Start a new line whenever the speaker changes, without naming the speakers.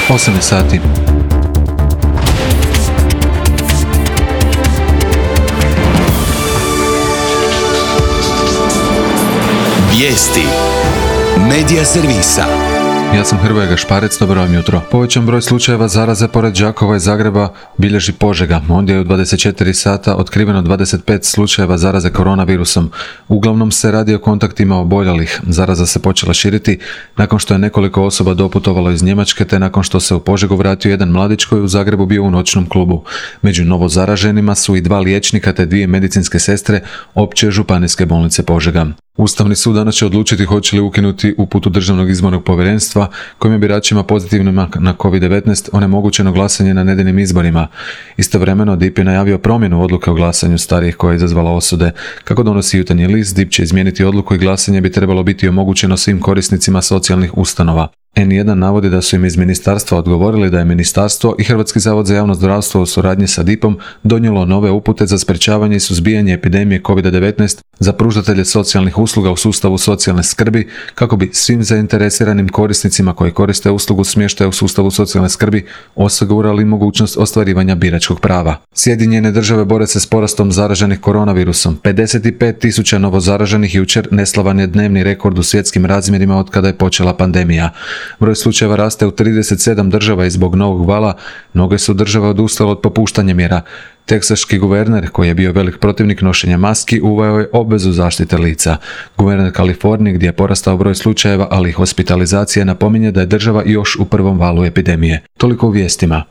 8 je sati.
Vijesti Medija servisa.
Ja sam Hrvoje Gašparec, dobro vam jutro. Povećan broj slučajeva zaraze pored Đakova i Zagreba bilježi Požega. Ondje je u 24 sata otkriveno 25 slučajeva zaraze koronavirusom. Uglavnom se radi o kontaktima oboljelih. Zaraza se počela širiti nakon što je nekoliko osoba doputovalo iz Njemačke, te nakon što se u Požegu vratio jedan mladić koji u Zagrebu bio u noćnom klubu. Među novo zaraženima su i 2 liječnika te 2 medicinske sestre Opće županijske bolnice Požega. Ustavni sud danas će odlučiti hoće li ukinuti uputu Državnog izbornog povjerenstva kojim je biračima pozitivnima na COVID-19 onemogućeno glasanje na nedjeljnim izborima. Istovremeno DIP je najavio promjenu odluke o glasanju starijih koja je izazvala osude. Kako donosi Jutarnji list, DIP će izmijeniti odluku i glasanje bi trebalo biti omogućeno svim korisnicima socijalnih ustanova. N1 navodi da su im iz ministarstva odgovorili da je ministarstvo i Hrvatski zavod za javno zdravstvo u suradnji sa DIP-om donijelo nove upute za sprečavanje i suzbijanje epidemije COVID-19 za pružatelje socijalnih usluga u sustavu socijalne skrbi kako bi svim zainteresiranim korisnicima koji koriste uslugu smještaja u sustavu socijalne skrbi osigurali mogućnost ostvarivanja biračkog prava. Sjedinjene države bore se s porastom zaraženih koronavirusom. 55.000 novozaraženih jučer neslavan je dnevni rekord u svjetskim razmjerima od kada je počela pandemija. Broj slučajeva raste u 37 država i zbog novog vala mnoge su države odustale od popuštanja mjera. Teksaški guverner, koji je bio velik protivnik nošenja maski, uveo je obvezu zaštite lica. Guverner Kalifornije, gdje je porastao broj slučajeva, ali i hospitalizacije, napominje da je država još u prvom valu epidemije. Toliko u vijestima.